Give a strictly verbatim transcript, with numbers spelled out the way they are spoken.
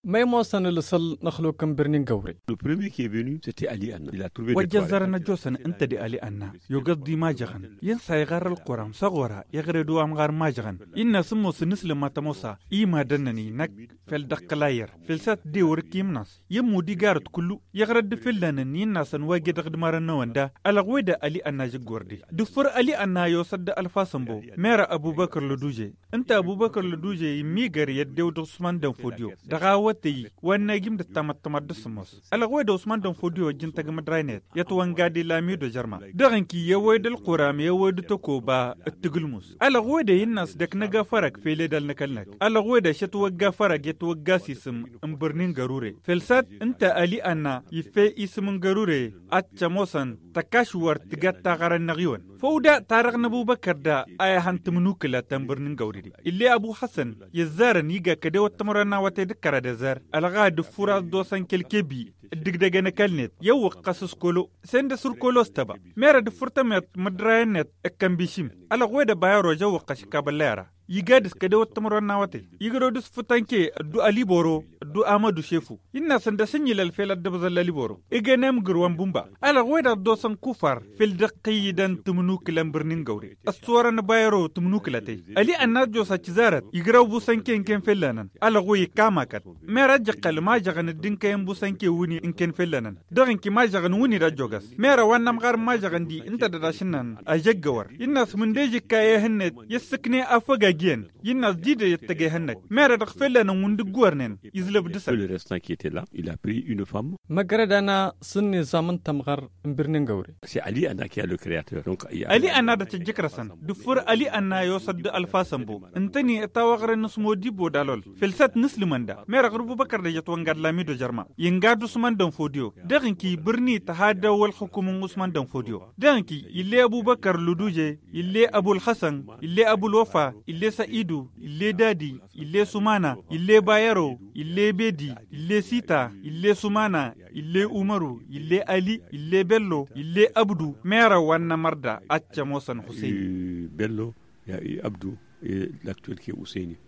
Ma imoosăn ǝlǝsăl n-ăxluk n-birni n-găwre. Wăjja ăzzarăn ăjjoosăn ǝnta d-ali anna, i-ogăẓ d-imažăɣăn i-ǝnsa iɣarr ălquram s-aɣora iɣrăd wa ămɣar n-imažăɣăn. Innă a-s ǝmmos n-islǝm ma tămosa i-madăn-nănăy năkk fel dăɣ-kălayăr, fel s-ad-tǝdewăr ǝkkim n-ass i-ămmud igarăt kullu. Iɣrăd d-fǝlla-năn innă a-s ănwăjjădăɣ d-imărăn n-ewănda. Ălɣuwedă ali anna žǝggorde d-ǝffǝr ali anna i-osăt d-ălfasănbo, mera ăbubăkăr lăduje. Ǝnta ăbubăkăr lăduje immigăr i-ăddewăt d-usman dănfodiyo dăɣ-a wătăy wa n-nagim d-ăttamăttămăt d-asǝmmos. Ălɣuwedă usman dănfodiyo ăjjǝntăg mădray-net i-ătwănga d-ilamido jărma, dăɣ-ǝnki i-ăwwăy d-ălquram i-ăwwăy d-tăkoba d-tǝgǝlmus. Ălɣuwedă innă a-s dd-ăknăg afărăg fel edal n-ăkall-năk. Ălɣuwedă šătwăgg afărăg i-ătwăgg asisǝm n-bărni n-gărure. Fel sad ǝnta ali anna iffăy isǝm n-gărure, ad-t ămoosăn tăkašwărt tǝgga d-taɣărăn n-aɣiwăn. Făw da tarăɣ n-ăbubăkăr da a ihăn tǝmnukǝla ta n-bărni n-găwrǝde. Ill'-e ăbu hasăn i-ăzzarăn iga kădewăt timărwen n-awătay d-kăraḍ i-ăzzar ălɣa d-ǝffur a-s dd-osăn kelkebi. Dd-ǝgdăgăn ăkall-net i-ăwwăqqăs s-kolo, săy-dd ăsurkolo s-tăba. Mera d-ǝffǝr tămmiḍt mădray-net ǝkkăn bišim. Ălɣuwedă bayăro a-s ăwwăqqăš ǝkkabălla i-ara. Iga dăɣ-s kădewăt timărwen n-awătay igrăw dăɣ-s fǝtănke ăddu aliboro ăddu amădu šefu. Innă a-s ǝndăs ǝnjǝlăl fel ăddăbẓăl laliboro. Ǝgăn emǝgǝrwan bumba. Ălɣuwedăɣ dd-osăn kufar fel dăɣ-kăyyǝdăn tǝmnukǝla n-bărni n-găwre. Ăssăwărăn bayăro tǝmnukǝlătăy. Ali anna ăjjoos ăccǝzarăt igrăw busănke ǝnken fell'-enăn. Ălɣuy ikkamakăt. Mera ăjjăqqăl mažăɣăn dd-inkăyăn busănke wǝnni ǝnken fell'-enăn. Dăɣ-ǝnki mažăɣăn wǝnni d-ăjjoogăs. Mera wa n-amɣar n-mažăɣăn-di ǝnta d-ădaš ǝnnan. Ăžžăggăwăr innă a-s mǝndej ikka ehăn-net i-ǝssǝkne afăg agǝyăn. Innă a-s didăy ăttăg ehăn-năk mera dăɣ-fell'-enăn wǝnn dd-ǝggornen. Izlăb dăɣ-săn. Măgrăd-ana s-ǝnnizam n-tămɣăr n-birni n-găwre. Ali anna d-tăjjǝkrăsăn d-ǝffǝr ali anna i-osăt d-ălfasănbo ǝntăne ătawăɣrăn n-asmodibo d-alol. Fel săt n-ǝslǝmăn da mera ɣur-ăbubăkăr d-ejăt wănga d-lamido jărma. Inga d-usman d-ănfodiyo dăɣ-inki bărni tăhadăw ălxǝkum n-usman d-ănfodiyo. Dăɣ-inki ill'-e ăbubăkăr lăduje, ill'-e ăbulxăsăn, ill'-e ăbulwăfa, ill'-e să'idu, ill'-e dadi, ill'-e sumana, ill'-e bayăro, ill'-e bedi, ill'-e sita, ill'-e sumana, ill'-e umăru, ill'-e ali, ill'-e bello, ill'-e ăbdu. Merăw wa n-nămăr da ad-t-ămoosăn husăyni. Bello, abdu, laktuwel ke usăyni.